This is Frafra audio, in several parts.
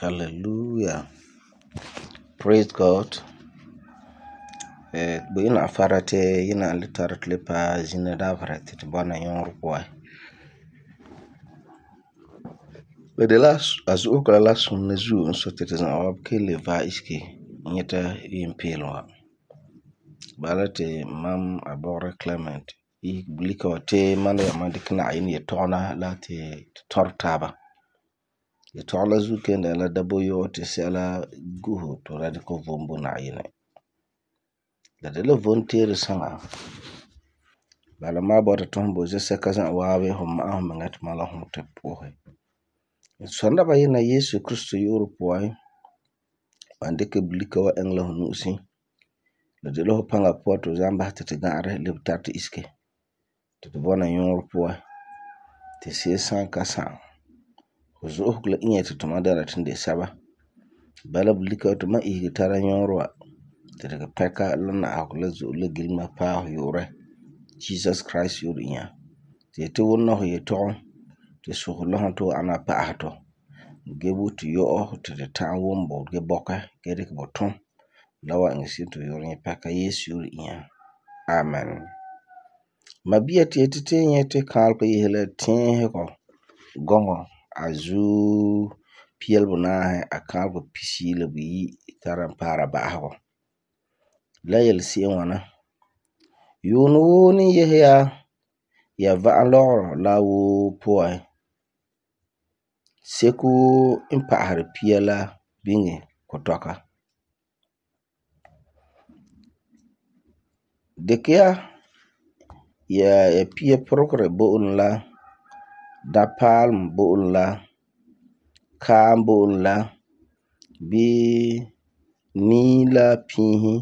Hallelujah. Praise God. Boyina afara te yina le tara te le pa zina davara te bɔna yɔɔrɔ puan. Bede la azu'uka la sunna zuo n so te za'a wa kele va iski nyɛta yimpeelum wa. Bala te mam abɔgere Clement yi bulika wa te man yama dikɛ Na'ayinɛ yetɔgɔna la te tɔrɔ taaba. Yetɔgɔ la zuo kenda la daboyɔ te sɛla guhu to la dikɛ vom bo Na'ayinɛ. La de la volunteer saŋa. Bala ma bɔta tõn bo zɛsɛka za'a waabe ho ma'a ho meŋa te ma la ho te po'ohe. Sɔnda ba yina Yesu Kristo yu'urɛ puan, ban dikɛ bulika wa eŋɛ la ho nu'usi. La de la ho paŋa puan to zam basɛ te ga'arɛ lebe tara te iske te bɔna yɔɔrɔ puan te se'em san ka sa'am. Ho zo'osegɔ la inya te tuma dɛna ti de sɛba. Bala bulika wa to ma isege tara yɔɔrɔ wa te dikɛ pɛka la na'ahegɔ la zo'e la gilema paɛ ho yu'urɛ Jesus Christ yu'urɛ inya. Te yeti wuna ho yetɔgom te sogɛ la ho to ana pa'asɛtɔ. Ge bo te yɔ'ɔ te de ta'am wum bo ge bɔkɛ ge dikɛ bo tum la wa iŋɛ se'em ti yu'urɛ nyɛ pɛka Yesu yu'urɛ inya. Amen. Mabia te yeti te nyɛ te kaalega yehe la tɛɛhegɔ gɔŋɔ a zuo piɛle bonaahe a kaalega pisiyi la buyi tara paara ba'asegɔ. La yelese'em ŋwana. Yuunɛ woo ni yehe ya va'am lɔgerɔ la woo puan. Seko woo n pa'aseri pia la biŋe kotɔka. Dikɛ ya pia puregere bo'olum la, dapaalum bo'olum la, kaam bo'olum la, bii nii la piisi,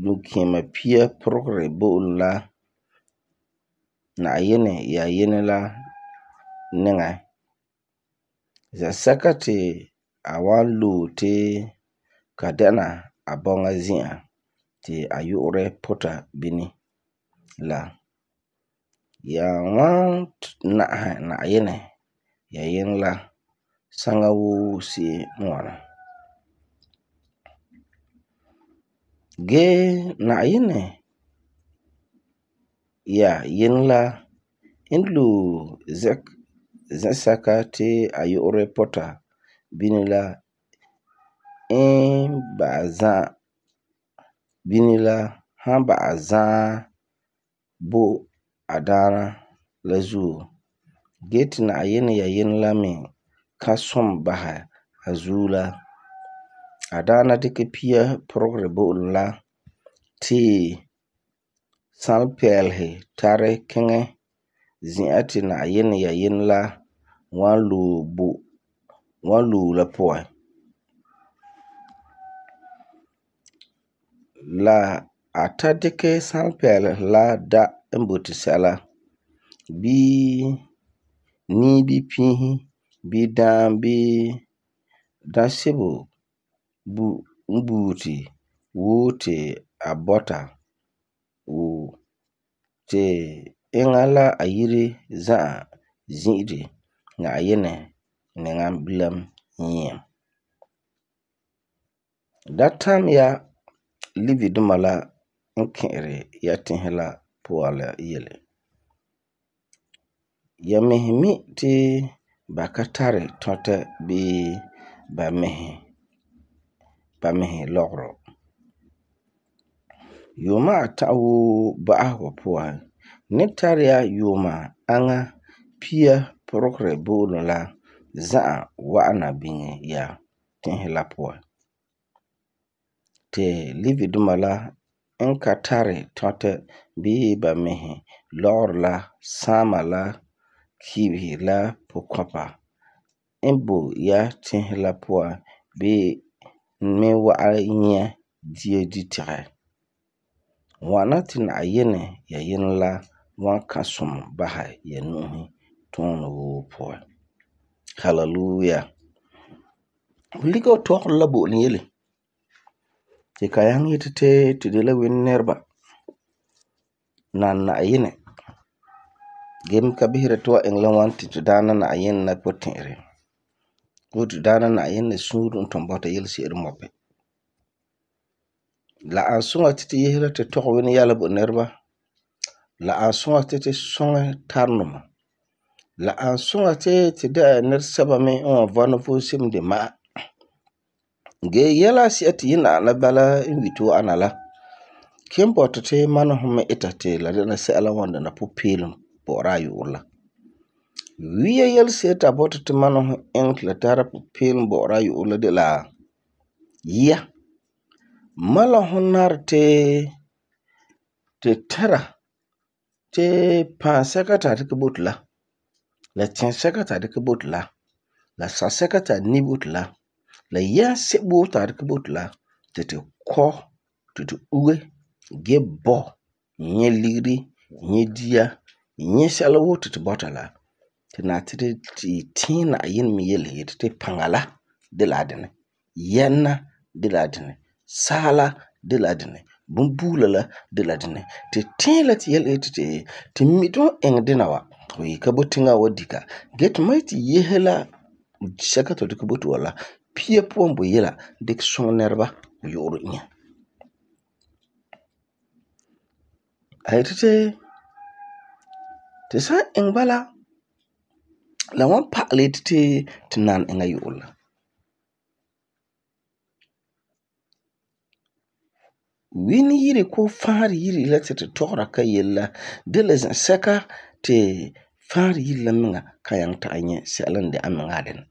dunkɛmɛ pia puregere bo'olum la, Na'ayinɛ yayinɛ la niŋa. Zɛsɛka te a wan loe te ka dɛna a bɔŋa zi'an te a yu'urɛ puta bini la. Ya wan na'ahɛ Na'ayinɛ yayinɛ la saŋa woo se'em n ŋwana. Gee Na'ayinɛ yayinɛ la n loe zɛsɛka te a yu'urɛ puta bini la n ba'a za'a bini la han ba'a zaɛ bo a daana la zuo. Gee te Na'ayinɛ yayinɛ la me ka sum basɛ a zuo la, a daana dikɛ pia puregere bo'olum la tee san pɛɛlehe tari kiŋɛ zi'an te Na'ayinɛ yayinɛ la wan loe la puan. La a ta dikɛ san pɛɛlehe la da n boti sɛla bii nii bii piisi bii daam bii daasebo n buuri woo te a bɔta woo te eŋa la a yire za'a zi'ire Na'ayinɛ niŋa bilam nyia. Da tam ya Livi duma la n ki'iri ya tiŋa la puan la yele. Ya mihi mi te ba ka tari tɔtɛ bii ba mihi lɔgerɔ. Yuuma ata woo ba'asegɔ puan, ni tari ya yuuma aŋa pia puregere bo'olum la za'a wa'ana biŋe ya tiŋa la puan. Te Livi duma la n ka tari tɔtɛ bii ba mihi lɔgerɔ la saama la kibihi la pukɔpa n boi ya tiŋa la puan bii mi wa'am nyɛ dia ditegɛ. Ŋwana te Na'ayinɛ yayinɛ la wan ka sum basɛ ya nu'usi tuunɛ woo puan. Hallelujah. Bulika wa tɔgeri la bo'olum yele ti ka nyaŋɛ yeti te tu de la Wini nɛreba nan Na'ayinɛ gee mi ka bisera ti tu wan iŋɛ la ŋwani ti tu daana Na'ayinɛ la puti'irɛ. Wotu daana Na'ayinɛ suure n tun bɔta yelese'ere mɔpi. La an suŋa ti yesera ti tɔgɛ wini yɛla bo nɛreba. La an suŋa ti sɔŋɛ tarenuma. La an suŋa ti dɛna nɛresɛba me n wan vɔna vom sebo de ma'a. Gee yɛla asi'a ti yi na'am la bala n yeti wa'ana la, ken bɔta ti mana hum me ita ti la dɛna sɛla n wan dɛna pupeelum bɔ'ɔra a yu'urɛ la. Wia yelese'ere ti a bɔta ti mana hum iŋɛ ti la tara pupeelum bɔ'ɔra a yu'urɛ la de la yia. Mana hum nari ti tɛra ti pãasɛka ti a dikɛ bo tu la tɛnsɛka ti a dikɛ bo tu la sasɛka ti a ni bo tu la yɛnsebo ti a dikɛ bo tu ti kɔ, ti uge gee bɔ, nyɛ ligeri, nyɛ dia, nyɛ sɛla woo ti tu bɔta la, ti nari ti tɛɛ Na'ayinɛ me yele yeti ti paŋa la de la a dinɛ, yɛna de la a dinɛ, saala de la a dinɛ, bunbuula la de la a dinɛ. Ti tɛɛ la ti yele yeti ti mi ti fu iŋɛ dina wa, fu yi ka bo tiŋa wa di ka. Gee ti ma yeti yese la sɛka ti fu dikɛ bo tu wa la, pia puan bo yela dikɛ suŋɛ nɛreba yu'urɛ inya. A yeti ti san iŋɛ bala, la wan pa'alɛ yeti ti nan iŋa yu'urɛ la. Wini yire koo faanrɛ yire la ti tu tɔgera ka yele la de la zɛsɛka ti faanrɛ yire la miŋa kan nyaŋɛ ta'am nyɛ sɛla n de amiŋa a dinɛ.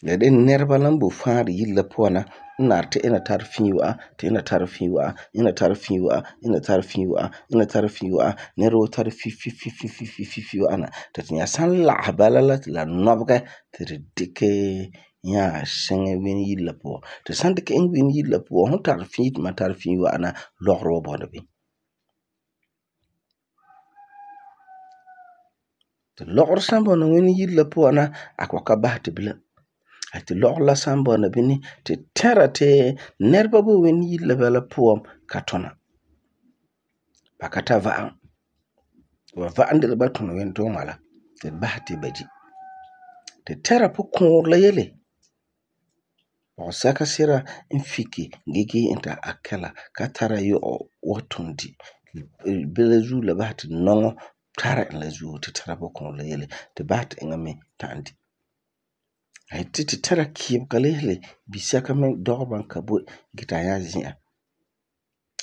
La de nɛreba la n boi faanrɛ yire la puan na n nari ti ina tari fii wa'a, ti ina tari fii wa'a, ina tari fii wa'a, ina tari fii wa'a, ina tari fii wa'a, nɛra woo tari fii wa'ana. Ti tu nya san lagehɛ bala la ti la nɔbegɛ ti tu dikɛ nya shiŋɛ wini yire la puan. Tu san dikɛ iŋɛ wini yire la puan, fu tari fii ti mam tari fii wa'ana, lɔgerɔ wa bɔna bini. Ti lɔgerɔ san bɔna wini yire la puan na, a kɔ'ɔm ka basɛ ti bilam. Ti lɔgerɔ la san bɔna bini ti tɛra ti nɛreba boi wini yire la bala puan ka tuna. Ba ka ta va'am. Ba va'am de la ba tuni wintuuma la ti basɛ ti ba di. Ti tɛra pukɔɔrɛ la yele. Pɔgɔsɛka sira n fike gee ita akɛla ka tara yɔ'ɔ wa tum di. Bilam zuo la basɛ ti nɔŋɔ tara e la zuo ti tɛra pukɔɔrɛ la yele ti basɛ ti eŋa me ta'am di. A yeti ti tɛra kiibega la yele bisɛka me dɔgɛ ban ka boi gee ti a nyaa zi'a.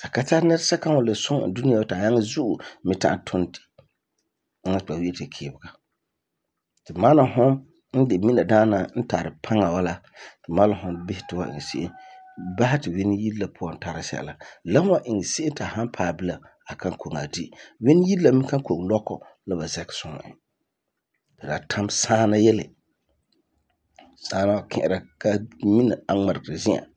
A ka tari nɛresɛka n wan le sum e dunia wa ti a nyaŋɛ zo'e me ta'am tum di. Eŋa ti ba wi'ira ti kiibega. Ti mana hum n de mina daana n tari paŋa wa la, ti mana hum bisɛ ti fu wan iŋɛ se'em basɛ ti wini yire la puan tara sɛla. La wan iŋɛ se'em ti a san paɛ bilam a kan koŋe a di. Wini yire la me kan koŋe lɔkɔ la ba zɛkɛ suŋɛ e. Ti la tam saana yele. Saana wa ki'ira ka mina a ŋmarigeri zi'an.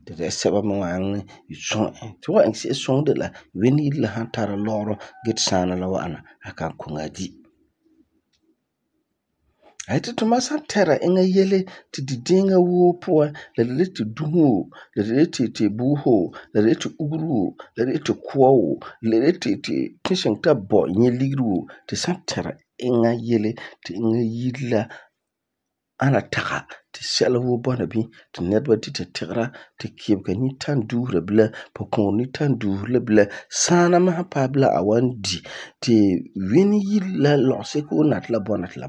Ti sɛba me wan nyaŋɛ suŋɛ e. Ti fu wan iŋɛ se'em suŋɛ de la wini yire la san tara lɔgerɔ gee ti saana la wa'ana, a kan koŋe a di. A yeti tumam san tɛra eŋa yele ti di deeŋa woo puan, la de la ti dusi woo, la de la ti buusɛ woo, la de la ti ugere woo, la de la ti kua woo, la de la ti shiŋa ta bɔ nyɛ ligeri woo, ti san tɛra eŋa yele ti eŋa yire la ana taga ti sɛla woo bɔna bini ti nɛreba dita tigera, ti kiibega ni ta'am duusera bilam, pukɔɔrɛ ni ta'am duusera bilam, saana me san paɛ bilam a wan di, ti wini yire la lɔgeseko woo nari ti la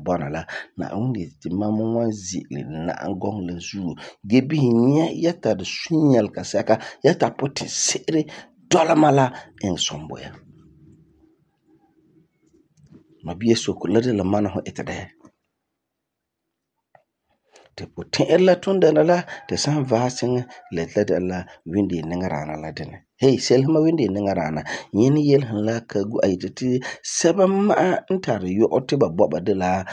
bɔna la, Na'ayinɛ yeti ti mam me wan ze'ele na'am gɔŋɔ la zuo gee bisɛ nyɛ ya tari sũ-yɛlega sɛka, ya tari putise'ere dɔla ma la iŋɛ sɔm bo ya. Mabia sokere la de la mana fu iti dɛ. Ti puti'irɛ la tun dɛna la ti san vaɛ siŋa la yeti la dɛna la windei niŋadaana la dinɛ. Hey, selesema windei niŋadaana, nyɛ ni yelesum la Kagu a yeti ti sɛba ma'a n tari yɔ'ɔ ti ba bɔba de la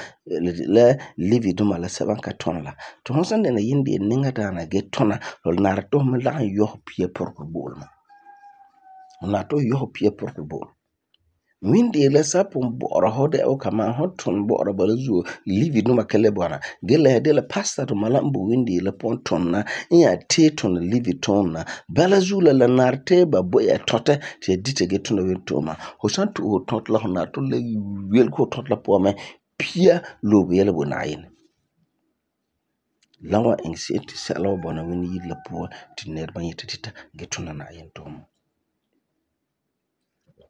Livi duma la sɛba n ka tuna la. Ti fu san dɛna windei niŋadaana gee tuna, la nari ti fu me lagum yɔ fu pia puregɛ bo'olum mɛ. Fu nari ti fu yɔ fu pia puregɛ bo'olum. Windei la san pugum bɔ'ɔra fu dɛna wuu kamaa fu tuni bɔ'ɔra bala zuo Livi duma ka le bɔna gee la de la pastor duma la n boi windei la puan tuna n nya tee tuni Livi tuunɛ na. Bala zuo la nari ti ba bo ya tɔtɛ ti ya dita gee tuna wintuuma. Fu san tu'usɛ fu tɔtɛ la fu nari ti fu le welege fu tɔtɛ la puan mɛ pia lobe yɛla bo Na'ayinɛ. La wa iŋɛ se'em ti sɛla wa bɔna Wini yire la puan ti nɛreba yeti dita ge tuna Na'ayenɛ tuuma.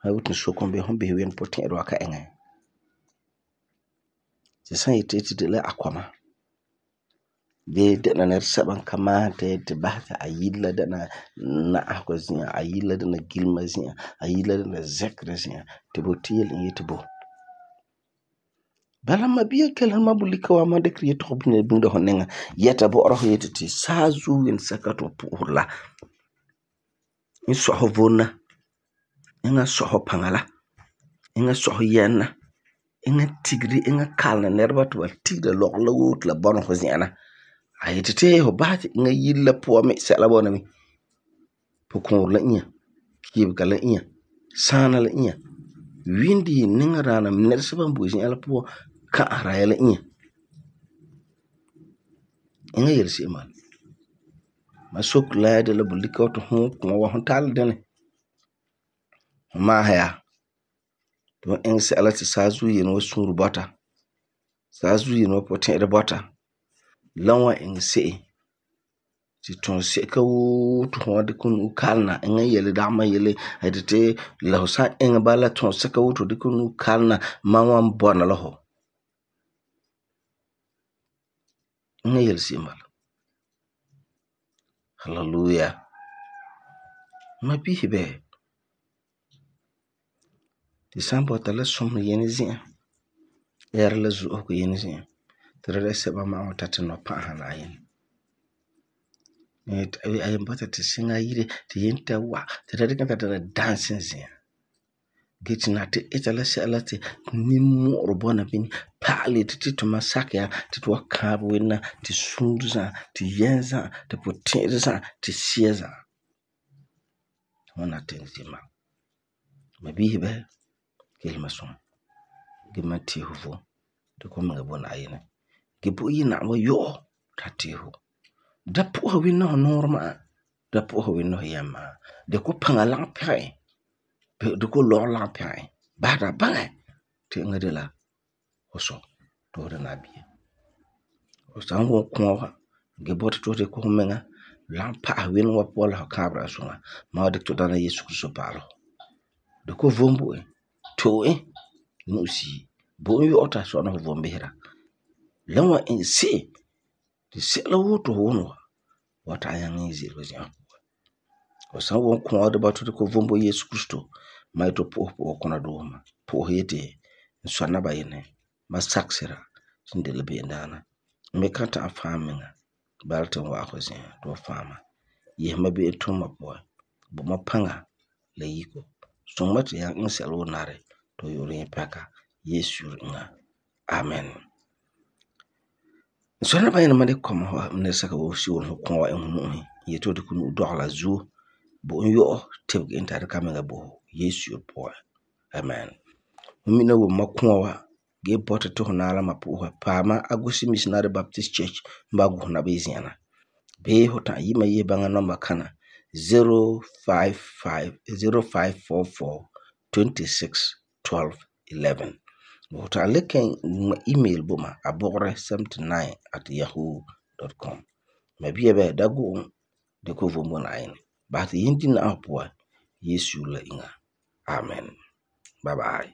Ha boti sokam be hon bisɛ Wini potɛ'ɛra wa ka iŋɛ. Ti san yeti ti de la akɔma gee dɛna nɛresɛba n ka maahum ti basɛ ti a yire la dɛna na'ahegɔ zi'an, a yire la dɛna gilema zi'an, a yire la dɛna zɛkerɛ zi'an ti bo ti yele e yeti bo. Bala mabia kelum ma bulika wa ma dikɛ yetɔgum biŋera fu niŋa yɛta bɔ'ɔra fu yeti ti saazuo yelesɛka ti fu pu'useri la n sɔi fu vom la, eŋa sɔi fu paŋa la, eŋa sɔi fu yɛm la, eŋa tigeri, eŋa kalena nɛreba ti ba tigera lɔgerɔ la woo ti la bɔna fu zi'an la. A yeti ti fu basɛ ti eŋa yire la puan me sɛla bɔna bini. Pukɔɔrɛ la inya, kibega la inya, saana la inya, windi niŋadaana nɛresɛba n boi zi'an la puan ka'asera ya la inya. Eŋa yelese'em bala. Ma soke la de la bulika wa ti hu kɔma wa hu tara la dɛnɛ. Hu maahɛ ya ti hu iŋɛ sɛla ti saazuo yene wa suure bɔta, saazuo yene wa potɛ'ɛra bɔta, la wan iŋɛ se'em ti tunsɛka woo ti hu wan dikɛ hu nu'o kalena, eŋa yele dagema yele, a yeti ti la hu san iŋɛ bala tunsɛka woo ti hu dikɛ hu nu'o kalena mam wan bɔna la hu. Eŋa yelese'em bala. Hallelujah. Ma bisɛ ti san bɔta la sumɛ yene zi'an, ɛɛra la zo'osegɔ yene zi'an ti la dɛna sɛba ma'a wan ta ti nɔ pa'asɛ Na'ayenɛ. A yen bɔta ti siŋa yire ti yen ta wa ti la dikɛ e ta dɛna dancing zi'an. Gee ti na ti ita la sɛla ti nimmu'urɛ bɔna bini pa'alɛ yeti ti tuma sakɛ ya ti tu wan kãabɛ Wini na ti suure za'a, ti yɛm za'a, ti puti'irɛ za'a, ti sia za'a. Hu wan na tiŋɛ se'em bala. Ma bisɛ kelum ma suŋa gee ma tee fu vom dikɛ fu miŋa bo Na'ayenɛ. Gee bo yi na'am wa yɔ'ɔ ti a tee fu. Da pu'usa Wini la fu nuurɛ ma'a, da pu'usa Wini la fu yɛm ma'a. Dikɛ fu paŋa lagum pɛgɛ e, dikɛ fu lɔgerɔ lagum pɛgɛ e. Basɛ ti a baŋɛ ti eŋa de la fu sɔ ti fu dɛna a bia. Fu san wum kũa wa gee bɔta ti fu dikɛ fu miŋa lagum pa'asɛ Wini wa puan la fu kãabera a suŋa, ma wan dikɛ ti Daana Yesu Kirista pa'alɛ fu. Dikɛ fu vom bo e, to'e e nu'usia, bo e yɔ'ɔ ti a sɔna fu vom bisera. La wan iŋɛ se'em ti sɛla woo ti fu wuni wa wan ta'am nyaŋɛ ze'ele fu zi'an puan. Fu san wum kũa wa gee bɔta ti fu dikɛ fu vom bo Yesu Kirista, ma yeti fu pu'usɛ kuna doose ma. Pu'usɛ yeti n sɔ Naba-Yinɛ, ma sakɛ sira ti n de la be'emdaana. N me kan ta'am faam miŋa bala ti n wa'ɛ fu zi'an ti fu faama. Yese ma be'em tuuma puan. Bo ma paŋa la yiko. Suŋɛ ma ti n nyaŋɛ iŋɛ sɛla woo nari ti fu yu'urɛ nyɛ pɛka Yesu yire eŋa. Amen. N sɔ Naba-Yinɛ ma dikɛ kɔma nɛresɛka woo siveri fu kũa wa iŋɛ fu nu'usi. N yeti fu dikɛ fu nu'o dɔgela a zuo. Bo e yɔ'ɔ tebege e ti a dikɛ a miŋa bo fu Yesu yire puan. Amen. Fu mina wum ma kũa wa gee bɔta ti fu naɛ la ma pu'usa, paama Agusi Missionary Baptist Church n ba Gusi Naba yi zi'an na. Bee fu ta'am yi ma yese baŋa nɔmba kana 0544 fu ta'am le kan ŋma email bo ma abogre79@yahoo.com. Ma bia da go'om dikɛ fu vom bo Na'ayenɛ. Basɛ ti yen di na'asegɔ puan Yesu yire la eŋa. Amen. Bye bye.